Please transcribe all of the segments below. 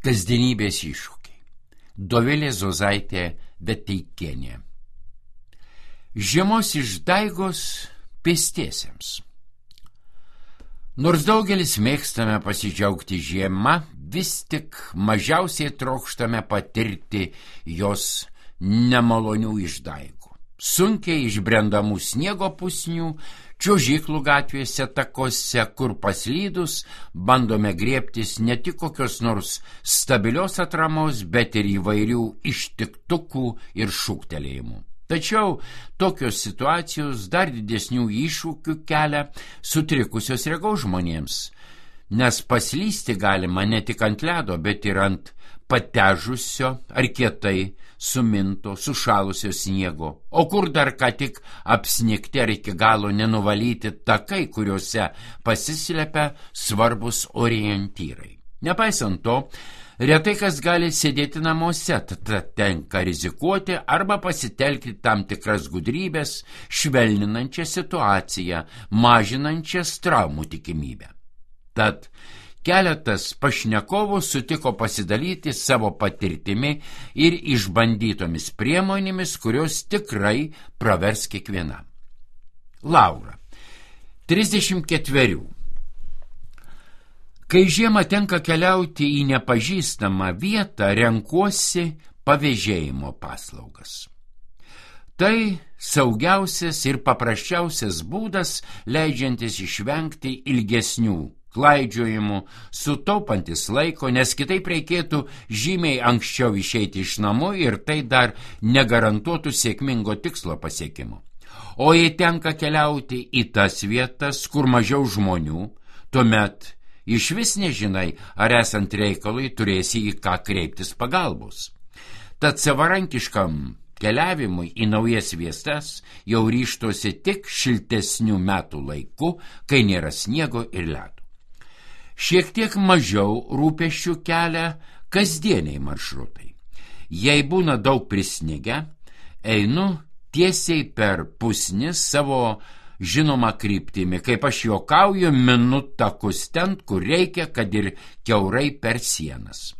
Kasdienybės iššūkiai. Dovilė Zozaitė Beteikienė. Žiemos išdaigos pėstiesiems. Nors daugelis mėgstame pasidžiaugti žiema, vis tik mažiausiai trokštame patirti jos nemalonių išdaigų. Sunkiai išbrendamų sniego pusnių, čiuožyklų gatvėse, takose, kur paslydus, bandome griebtis ne tik kokios nors stabilios atramos, bet ir įvairių ištiktukų ir šūktelėjimų. Tačiau tokios situacijos dar didesnių iššūkių kelia sutrikusios regos žmonėms, nes paslysti galima ne tik ant ledo, bet ir ant patežusio ar kietai suminto, sušalusio sniego, o kur dar ką tik apsnigti ar iki galo nenuvalyti takai, kuriuose pasislepia svarbus orientyrai. Nepaisant to, retai kas gali sėdėti namuose, tad tenka rizikuoti arba pasitelkti tam tikras gudrybės, švelninančią situaciją, mažinančias traumų tikimybę. Tad keletas pašnekovų sutiko pasidalyti savo patirtimi ir išbandytomis priemonėmis, kurios tikrai pravers kiekvienam. Laura, 34. Kai žiemą tenka keliauti į nepažįstamą vietą, renkuosi pavėžėjimo paslaugas. Tai saugiausias ir paprasčiausias būdas, leidžiantis išvengti ilgesnių klaidžiojimų, sutaupantis laiko, nes kitaip reikėtų žymiai anksčiau išeiti iš namų ir tai dar negarantuotų sėkmingo tikslo pasiekimo. O jei tenka keliauti į tas vietas, kur mažiau žmonių, tuomet iš vis nežinai, ar esant reikalui turėsi į ką kreiptis pagalbos. Tad savarankiškam keliavimui į naujas vietas jau ryžtosi tik šiltesnių metų laiku, kai nėra sniego ir ledo. Šiek tiek mažiau rūpesčių kelia kasdieniai maršrutai. Jei būna daug prisnigę, einu tiesiai per pusnis savo žinoma kryptimi, kaip aš juokauju, minu takus ten, kur reikia, kad ir kiaurai per sienas.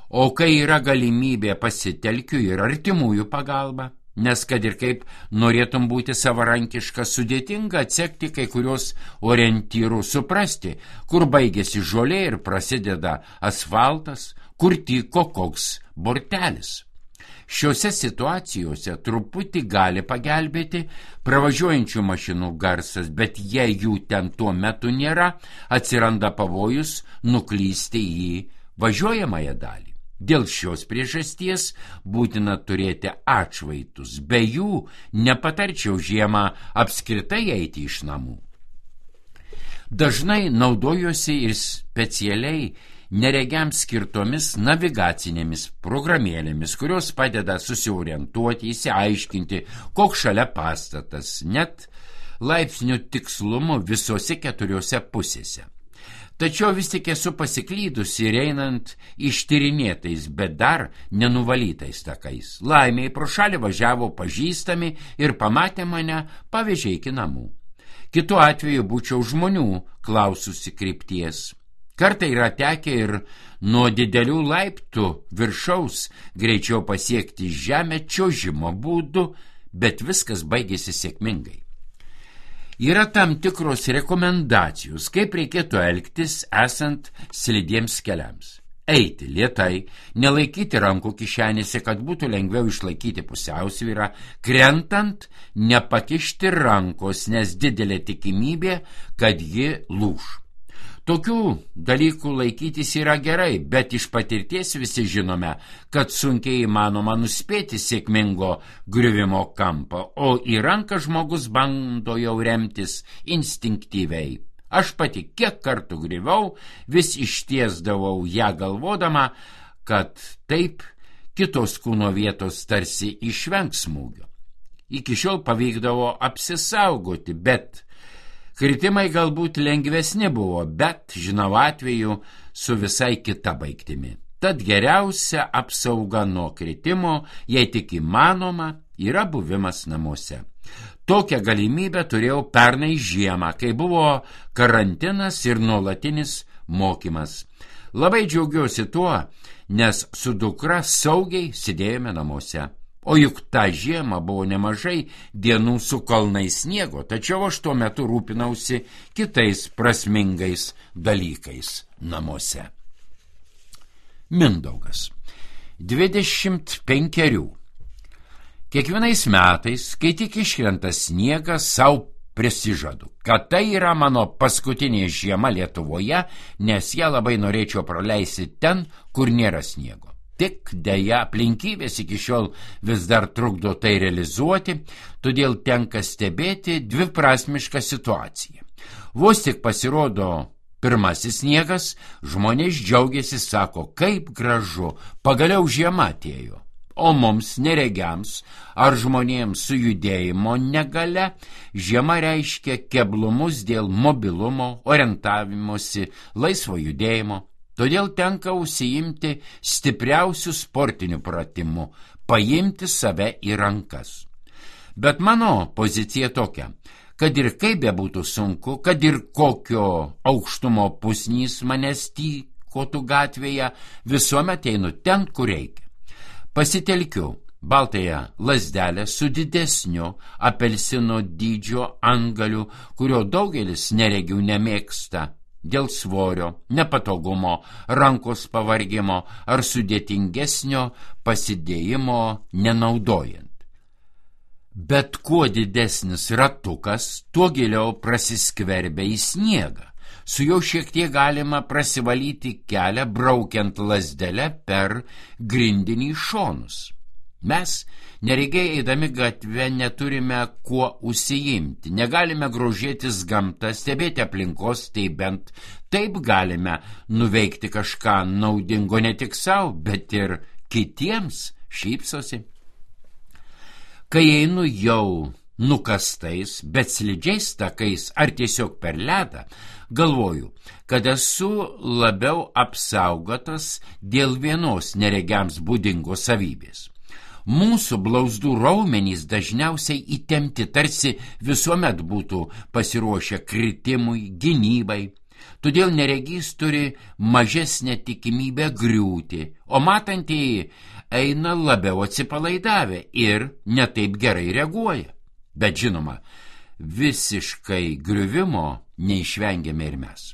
O kai yra galimybė, pasitelkiu ir artimųjų pagalbą, nes kad ir kaip norėtum būti savarankiška, sudėtinga atsekti kai kurios orientyrų, suprasti, kur baigėsi žolė ir prasideda asfaltas, kur tyko koks bortelis. Šiuose situacijose truputį gali pagelbėti pravažiuojančių mašinų garsas, bet jei jų ten tuo metu nėra, atsiranda pavojus nuklysti į važiuojamąją dalį. Dėl šios priežasties būtina turėti atšvaitus, be jų nepatarčiau žiemą apskritai eiti iš namų. Dažnai naudojuosi ir specialiai neregiams skirtomis navigacinėmis programėlėmis, kurios padeda susiorientuoti, įsiaiškinti, koks šalia pastatas, net laipsnių tikslumu visose 4 pusėse. Tačiau vis tik esu pasiklydusi ir einant ištyrinėtais, bet dar nenuvalytais takais. Laimiai pro šalį važiavo pažįstami ir pamatė mane, pavežė iki namų. Kitu atveju būčiau žmonių klaususi krypties. Kartai yra tekę ir nuo didelių laiptų viršaus greičiau pasiekti žemę čiuožimo būdu, bet viskas baigėsi sėkmingai. Yra tam tikros rekomendacijos, kaip reikėtų elgtis esant slidiems keliams. Eiti lėtai, nelaikyti rankų kišenėse, kad būtų lengviau išlaikyti pusiausvyrą, krentant nepakišti rankos, nes didelė tikimybė, kad ji lūš. Tokių dalykų laikytis yra gerai, bet iš patirties visi žinome, kad sunkiai įmanoma nuspėti sėkmingo griuvimo kampą, o į ranką žmogus bando jau remtis instinktyviai. Aš pati kiek kartų griuvau, vis ištiesdavau ją galvodama, kad taip kitos kūno vietos tarsi išvengs smūgio. Iki šiol pavykdavo apsisaugoti, bet kritimai galbūt lengvesni buvo, bet žinau atveju su visai kita baigtimi. Tad geriausia apsauga nuo kritimo, jei tik įmanoma, yra buvimas namuose. Tokią galimybę turėjau pernai žiemą, kai buvo karantinas ir nuolatinis mokymas. Labai džiaugiuosi tuo, nes su dukra saugiai sėdėjome namuose. O juk tą žiemą buvo nemažai dienų su kalnais sniego, tačiau aš tuo metu rūpinausi kitais prasmingais dalykais namuose. Mindaugas, 25. Kiekvienais metais, kai tik iškrenta sniegas, sau prisižadu, kad tai yra mano paskutinė žiema Lietuvoje, nes ją labai norėčiau praleisti ten, kur nėra sniego. Tik deja aplinkybės iki šiol vis dar trukdo tai realizuoti, todėl tenka stebėti dviprasmišką situaciją. Vos tik pasirodo pirmasis sniegas, žmonės džiaugiasi, sako, kaip gražu, pagaliau žiema atėjo. O mums, neregiams ar žmonėms su judėjimo negale, žiema reiškia keblumus dėl mobilumo, orientavimosi, laisvo judėjimo. Todėl tenka užsiimti stipriausių sportinių pratimų, paimti save į rankas. Bet mano pozicija tokia, kad ir kaip bebūtų sunku, kad ir kokio aukštumo pusnys manęs tykotų gatvėje, visuomet einu ten, kur reikia. Pasitelkiu baltąją lazdelę su didesniu apelsino dydžio antgaliu, kurio daugelis neregių nemėgsta dėl svorio, nepatogumo, rankos pavargimo ar sudėtingesnio pasidėjimo nenaudojant. Bet kuo didesnis ratukas, tuo giliau prasiskverbia į sniegą. Su juo šiek tiek galima prasivalyti kelią, braukiant lazdelę per grindinį šonus. Mes, neregiai eidami gatvę, neturime kuo užsiimti, negalime grožėtis gamtą, stebėti aplinkos, tai bent taip galime nuveikti kažką naudingo ne tik savo, bet ir kitiems, šypsosi. Kai einu jau nukastais, bet slidžiais takais ar tiesiog per ledą, galvoju, kad esu labiau apsaugotas dėl vienos neregiams būdingos savybės. Mūsų blauzdų raumenys dažniausiai įtempti, tarsi visuomet būtų pasiruošę kritimui, gynybai. Todėl neregys turi mažesnę tikimybę griūti, o matantieji eina labiau atsipalaidavę ir netaip gerai reaguoja. Bet žinoma, visiškai griuvimo neišvengiame ir mes.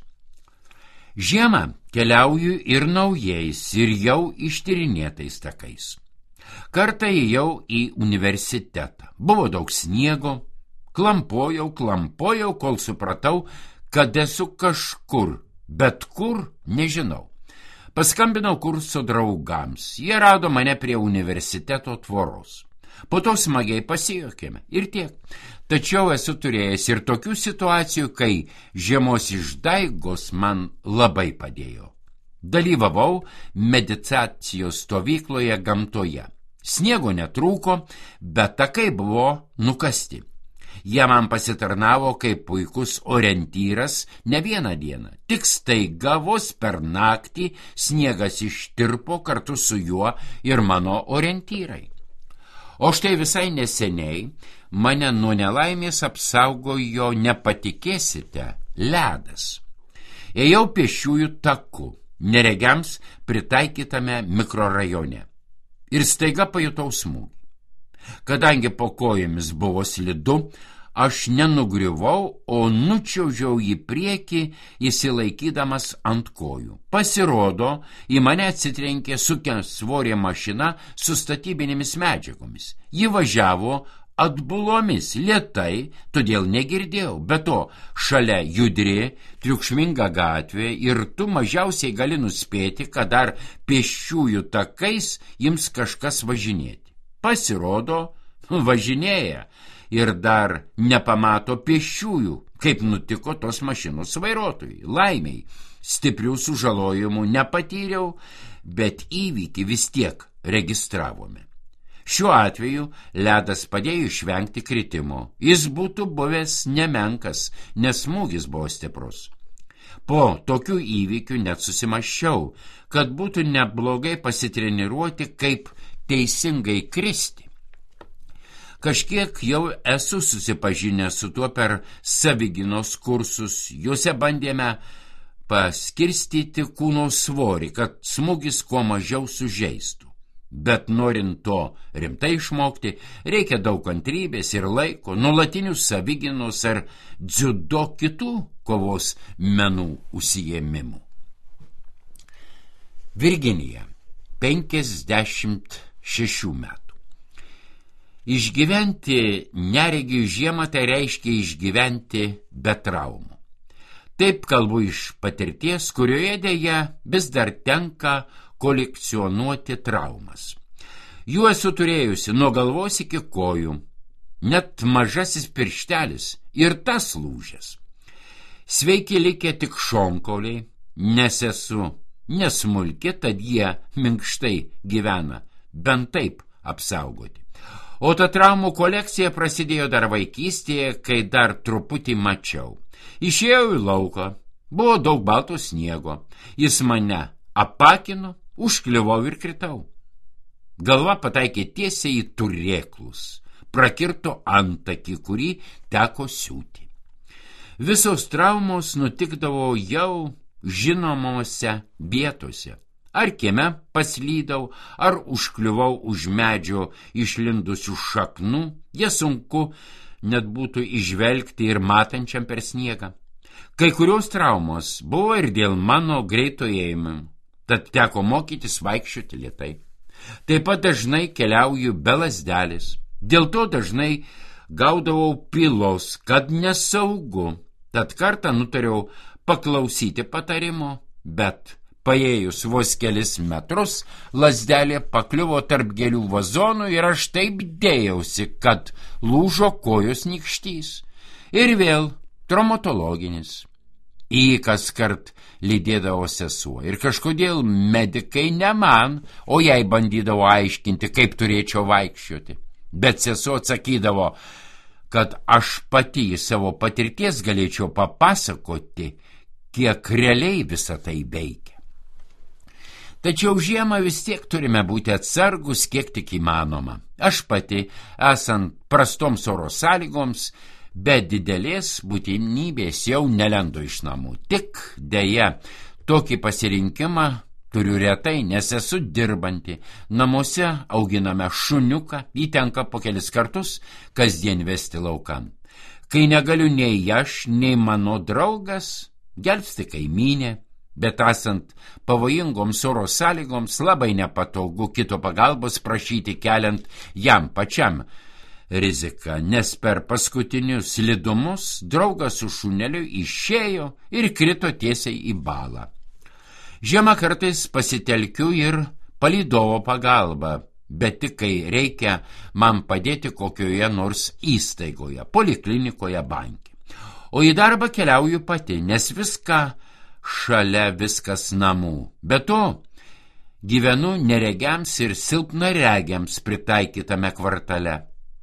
Žiemą keliauju ir naujais, ir jau ištyrinėtais takais. Kartą ėjau į universitetą. Buvo daug sniego, klampojau, kol supratau, kad esu kažkur, bet kur nežinau. Paskambinau kurso draugams, jie rado mane prie universiteto tvoros. Po to smagiai pasijuokėme ir tiek. Tačiau esu turėjęs ir tokių situacijų, kai žiemos išdaigos man labai padėjo. Dalyvavau meditacijos stovykloje gamtoje. Sniego netrūko, bet takai buvo nukasti. Jie man pasitarnavo kaip puikus orientyras ne vieną dieną. Tik staiga vos per naktį sniegas ištirpo, kartu su juo ir mano orientyrai. O štai visai neseniai mane nuo nelaimės apsaugojo, nepatikėsite, ledas. Ėjau pėsčiųjų taku, neregiams pritaikytame mikrorajone. Ir staiga pajutau smūgį. Kadangi po kojomis buvo slidu, aš nenugriuvau, o nučiaužiau į priekį, įsilaikydamas ant kojų. Pasirodo, į mane atsitrenkė sunkiasvorė mašina su statybinėmis medžiagomis. Ji važiavo atbulomis, lėtai, todėl negirdėjau. Be to, šalia judri, triukšminga gatvė ir tu mažiausiai gali nuspėti, kad dar pėsčiųjų takais jums kažkas važinėti. Pasirodo, važinėja ir dar nepamato pėsčiųjų, kaip nutiko tos mašinos vairuotojui. Laimiai, stiprių sužalojimų nepatyriau, bet įvykį vis tiek registravome. Šiuo atveju ledas padėjo išvengti kritimo. Jis būtų buvęs nemenkas, nes smūgis buvo stiprus. Po tokių įvykių net susimąsčiau, kad būtų neblogai pasitreniruoti, kaip teisingai kristi. Kažkiek jau esu susipažinęs su tuo per savigynos kursus. Juose bandėme paskirstyti kūno svorį, kad smūgis kuo mažiau sužeistų. Bet norint to rimtai išmokti, reikia daug kantrybės ir laiko, nuolatinių savigynos ar dziudo kitų kovos menų užsiėmimų. Virginija, 56 metų. Išgyventi neregių žiemą tai reiškia išgyventi be traumų. Taip kalbu iš patirties, kurioje dėja vis dar tenka kolekcionuoti traumas. Jų esu turėjusi nuo galvos iki kojų, net mažasis pirštelis ir tas lūžęs. Sveiki likę tik šonkauliai, nes esu nesmulki, tad jie minkštai gyvena, bent taip apsaugoti. O ta traumų kolekcija prasidėjo dar vaikystėje, kai dar truputį mačiau. Išėjau į lauką, buvo daug balto sniego, jis mane apakino, užkliuvau ir kritau. Galva pataikė tiesiai į turėklus, prakirto antakį, kurį teko siūti. Visos traumos nutikdavo jau žinomose vietose. Ar kieme paslydau, ar užkliuvau už medžio išlindusių šaknų, jas sunku net būtų išvelgti ir matančiam per sniegą. Kai kurios traumos buvo ir dėl mano greito ėjimo, tad teko mokytis vaikščioti lėtai. Taip pat dažnai keliauju be lazdelės, dėl to dažnai gaudavau pylos, kad nesaugu, tad kartą nutariau paklausyti patarimo, bet paėjus vos kelis metrus, lazdelė pakliuvo tarp gėlių vazonų ir aš taip dėjausi, kad lūžo kojos nykštys. Ir vėl traumatologinis. Į kas kart lydėdavo sesuo. Ir kažkodėl medikai ne man, o jai bandydavo aiškinti, kaip turėčiau vaikščioti. Bet sesuo atsakydavo, kad aš pati į savo patirties galėčiau papasakoti, kiek realiai visą tai veikia. Tačiau žiemą vis tiek turime būti atsargus, kiek tik įmanoma. Aš pati, esant prastoms oro sąlygoms, be didelės būtinybės jau nelendu iš namų. Tik deja, tokį pasirinkimą turiu retai, nes esu dirbanti. Namuose auginame šuniuką, jį tenka po kelis kartus kasdien vesti laukan. Kai negaliu nei aš, nei mano draugas, gelbsti kaimynė. Bet esant pavojingoms oro sąlygoms labai nepatogu kito pagalbos prašyti, keliant jam pačiam riziką, nes per paskutinius slidumus draugas su šuneliu išėjo ir krito tiesiai į balą. Žiemą kartais pasitelkiu ir palydovo pagalbą, bet tik kai reikia man padėti kokioje nors įstaigoje, poliklinikoje, banke. O į darbą keliauju pati, nes šalia viskas namų. Be to, gyvenu neregiams ir silpnaregiams pritaikytame kvartale.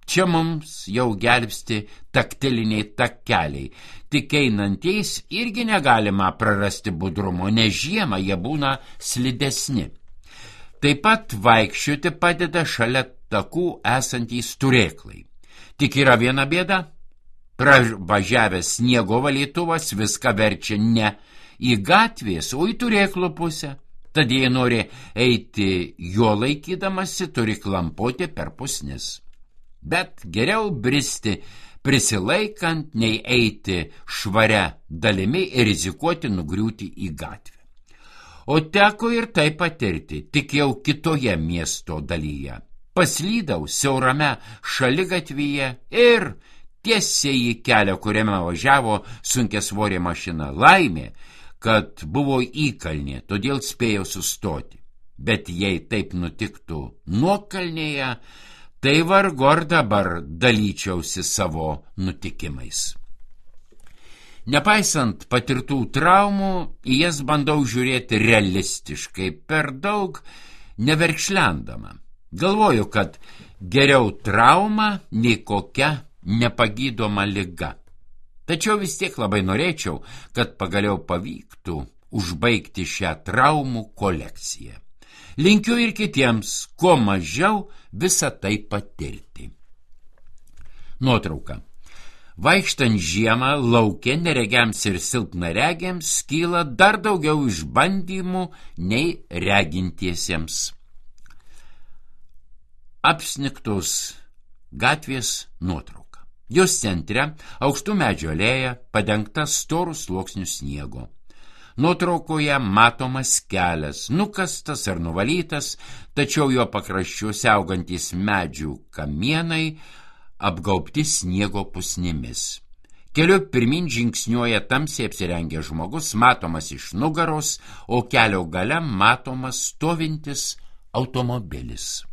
Čia mums jau gelbsti taktiliniai takeliai. Tik einantiais irgi negalima prarasti budrumo, nes žiemą jie būna slidesni. Taip pat vaikščioti padeda šalia takų esantys turėklai. Tik yra viena bėda. Pravažiavęs sniego valytuvas viską verčia ne į gatvės, o į turėklų pusę. Tad jei nori eiti jo laikydamasi, turi klampoti per pusnis. Bet geriau bristi prisilaikant, nei eiti švaria dalimi ir rizikuoti nugriūti į gatvę. O teko ir tai patirti, tik jau kitoje miesto dalyje. Paslydau siaurame šaligatvyje ir tiesiai į kelią, kuriame važiavo sunkiasvorė mašina. Laimė, kad buvo įkalnė, todėl spėjau sustoti. Bet jei taip nutiktų nuokalnėje, tai vargu ar dabar dalyčiausi savo nutikimais. Nepaisant patirtų traumų, į jas bandau žiūrėti realistiškai, per daug neverkšlendama. Galvoju, kad geriau trauma nei kokia nepagydoma liga. Tačiau vis tiek labai norėčiau, kad pagaliau pavyktų užbaigti šią traumų kolekciją. Linkiu ir kitiems kuo mažiau visą tai patirti. Nuotrauka. Vaikštant žiemą lauke neregiams ir silpnaregiams kyla dar daugiau išbandymų nei regintiesiems. Apsnigtos gatvės nuotrauka. Jos centre aukštų medžių alėja padengta storų sluoksnių sniego. Nuotraukoje matomas kelias, nukastas ar nuvalytas, tačiau jo pakraščiuose augantys medžių kamienai apgaubti sniego pusnimis. Keliu pirmin žingsniuoja tamsiai apsirengęs žmogus, matomas iš nugaros, o kelio gale matomas stovintis automobilis.